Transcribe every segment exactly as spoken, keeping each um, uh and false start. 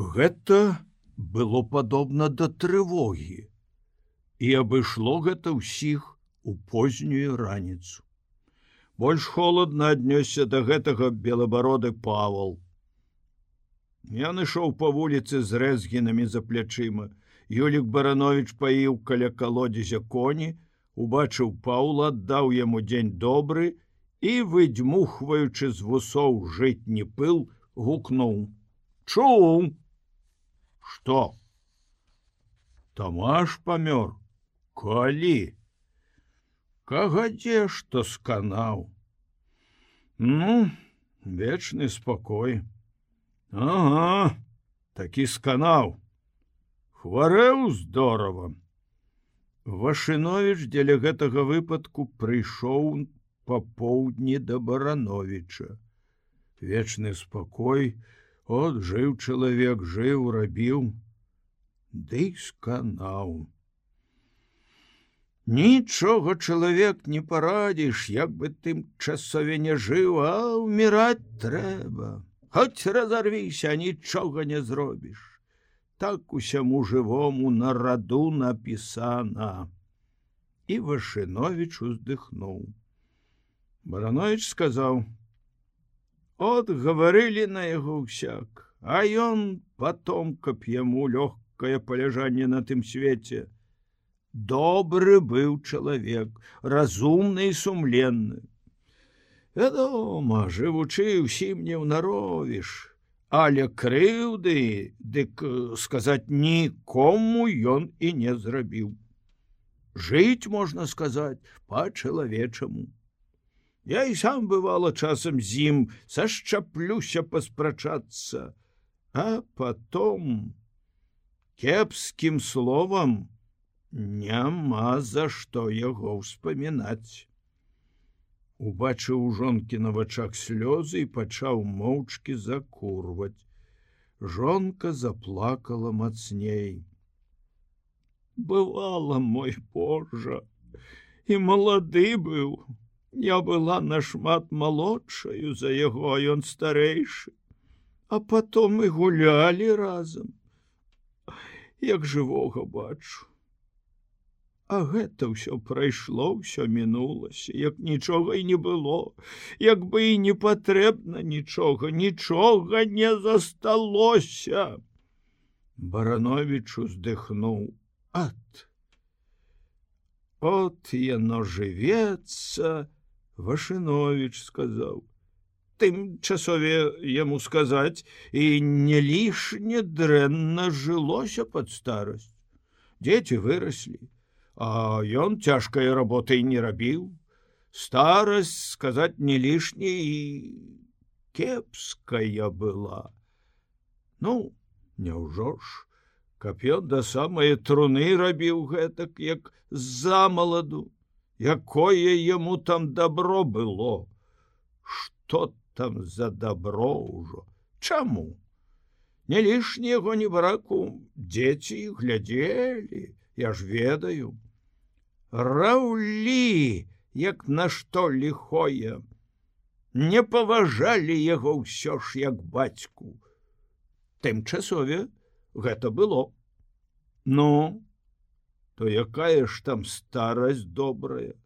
Гэта было падобна да трывогі, і абышло гэта ўсіх у познюю раніцу. Больш холадна аднёсся да гэтага белабароды Павал. Ён ішоў па вуліцы з рэзгінамі за плячыма. Юлік Баранович паіў каля калодзезя коні, убачыў Паўла, аддаў яму дзень добры і, выдзьмухваючы з вусоў жытні пыл, гукнуў: «Чуў!» «Што?» «Тамаш памёр. Калі?» «Кагадзе, што сканаў». «Ну, вечны спакой». «Ага, такі сканаў. Хварэў здорава». Вашыновіч дзеля гэтага выпадку прыйшоў папоўдні да Барановіча. Вечны спакой, от жыў чалавек, жыў, рабіў, ды сканаў. Нічога чалавек не парадзіш, як бы тым часове не жыў, а ўміраць трэба. Хоць разарвіся, нічога не зробіш. Так усяму жывому на раду напісана. І Вашыновіч уздыхнуў. Баранович сказаў: «От гаварылі на яго ўсяк, а ён потом, каб яму лёгкае паляжанне на тым свеце. Добры быў чалавек, разумны і сумленны. Вядома, жывучы ўсім не ўнаровіш, але крыўды, дык сказаць, нікому ён і не зрабіў. Жыць, можна сказаць, па-чалавечаму. Я і сам бывала часам з ім сашчаплюся паспрачацца, а потом кепскім словам няма за што яго ўспамінаць». Убачыў у жонкі на вачах слёзы і пачаў моўчкі закурваць. Жонка заплакала мацней. «Бывала, мой Божа, і малады быў. Я была нашмат малодшаю за яго, а ён старэйшы. А потом і гулялі разам. Як жывога бачу. А гэта ўсё прайшло, ўсё мінулася, як нічога і не было, як бы і не патрэбна нічога, нічога не засталося». Баранович уздыхнуў: «Ат! От яно жывецца», Вашыновіч сказаў. «Тым часове яму сказаць, і не лішне дрэнна жылося пад старасць. Дзеці выраслі, а ён цяжкай работай не рабіў. Старасць, сказаць, не лішне і кепская была. Ну, няўжо ж, каб ён да самае труны рабіў гэтак, як замаладу, якое яму там добро было. Што там за добро ўжо? Чаму? Не лішне яго не браку, дзеці глядзелі, я ж ведаю. Раўлі, як на што ліхое. Не паважалі яго ўсё ж як бацьку. Тым часове гэта было. Ну, то якая ж там старасць добрая.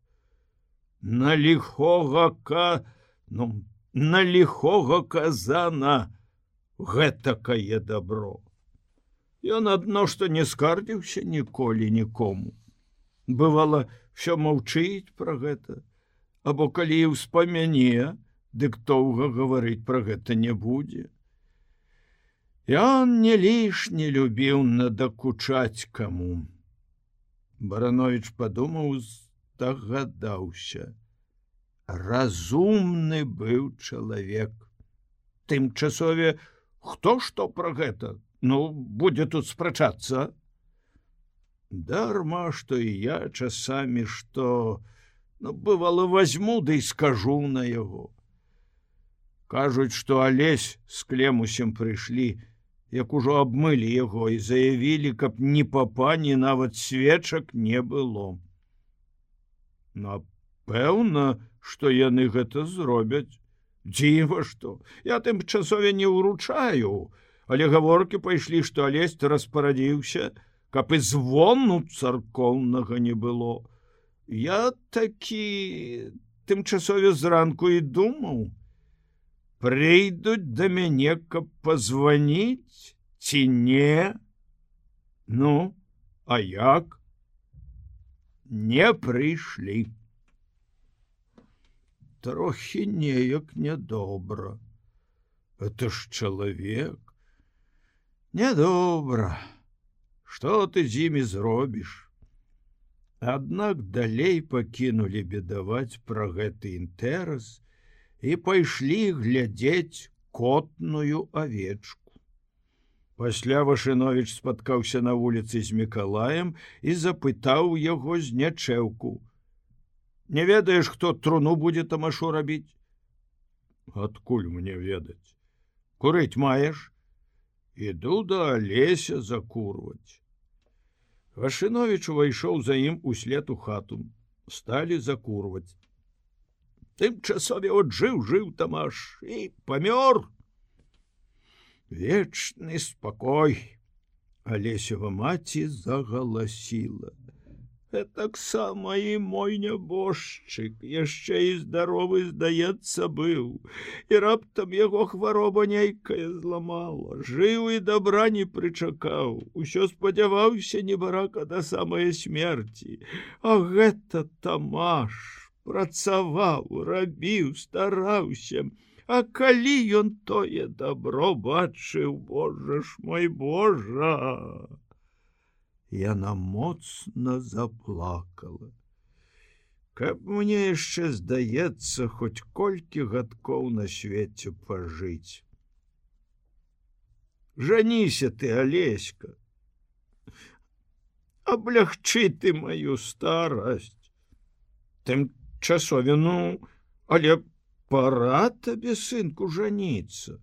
На ліхога ка... ну, на ліхога казана гэтакае добро. Ён адно, што не скардзіўся ніколі нікому. Бывала, всё маўчыць пра гэта, або калі і ўспамяне, дык доўга гаварыць пра гэта не будзе. Ён не лішне любіў надакучаць каму. Баранович падумаў, здагадаўся. Разумны быў чалавек. Тым часове, хто што пра гэта? Ну, будзе тут спрачацца. Дарма, што і я часамі што, ну, бывало, возьму, да і скажу на яго. Кажуць, што Алесь з Клемусем прыйшлі, як ужо абмылі яго і заявілі, каб ні папа, ні нават свечак не было. Напэўна, што яны гэта зробяць. Дзіва што, я тым часове не ўручаю, але гаворкі пайшлі, што Алесь распарадзіўся, каб і звону царкоўнага не было. Я такі тымчасове зранку і думаў, прыйдуць да мяне, каб пазваніць ці не? Ну, а як? Не прыйшлі. Трохі неяк нядобра. Это ж чалавек. Нядобра. Што ты з імі зробіш? Аднак далей пакінулі бедаваць пра гэты інтэрас і пайшлі глядзець котную авечку. Пасля Вашыновіч спаткаўся на вуліцы з Мікалаем і запытаў яго з нячэўку: «Не ведаеш, хто труну будзе тамашу рабіць?» «Адкуль мне ведаць? Курыць маеш?» «Іду да Алеся закурваць». Вашыновіч увайшоў за ім услед у хату. Сталі закурваць. Тымчасове от жыў-жыў Тамаш і памёр. Вечны спакой. Алесева маці загаласіла. Гэтаксама і мой нябожчык яшчэ і здаровы, здаецца, быў. І раптам яго хвароба нейкая зламала. Жыў і добра не прычакаў. Усё спадзяваўся небарака да самай смерці. А гэта Тамаш працаваў, рабіў, стараўся. А калі ён тое добро бачыў, Божа ж мой, Божа! Яна моцна заплакала. Каб мне яшчэ, здаецца, хоць колькі гадкоў на свеце пажыць. Жаніся ты, Алеська. Аблягчы ты маю старасць. Тымчасове, ну, але пора табе, сынку, жаніцца.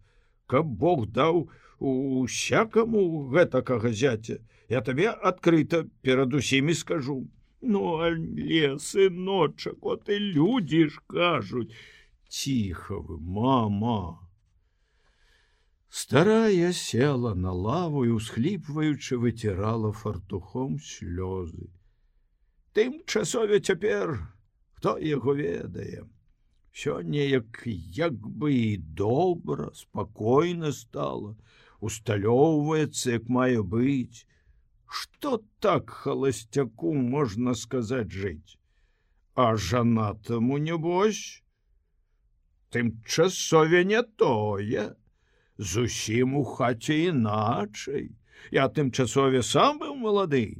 Каб Бог даў усякаму гэтакага зяця, я табе адкрыта перад усімі скажу. Ну, але, сыночак, от і людзі ж кажуць. Ціха вы, мама. Старая села на лаву і, усхліпваючы, выцірала фартухом слёзы. Тымчасове цяпер, хто яго ведае? Всё неяк як бы і добра, спакойна стала, усталёўваецца, як мае быць. Што так халасцяку, можна сказаць, жыць? А жанатаму, небось? Тымчасове не тое. Зусім у хаце іначай. Я тымчасове сам быў малады.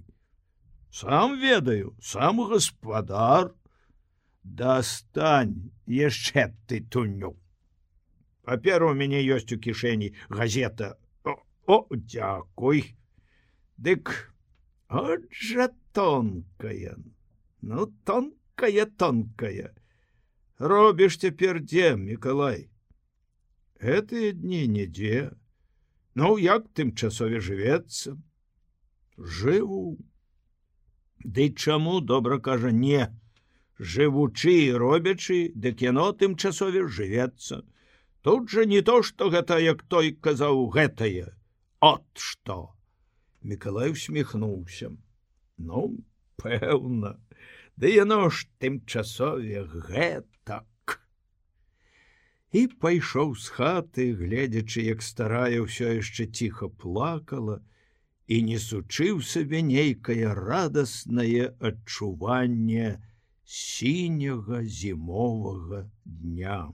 Сам ведаю, сам гаспадар. Дастань яшчэ ты туню. Папера у мяне ёсць у кішэні, газета. О, о, дзякуй. Дык, от жа тонкая. Ну, тонкая-тонкая. Робіш цяпер дзе, Мікалай? Гэтыя дні нідзе. Ну, як тымчасове жывецца? Жыву. Ды чаму, добра кажа, не. Жывучы і робячы, дык яно тымчасове жывецца. Тут жа не то, што гэта, як той казаў, гэтае. От што. Мікалай усміхнуўся. Ну, пэўна. Ды яно ж тымчасове гэтак. І пайшоў з хаты, гледзячы, як старая ўсё яшчэ ціха плакала і несучы ў сабе нейкае радаснае адчуванне сіняга зімовага дня.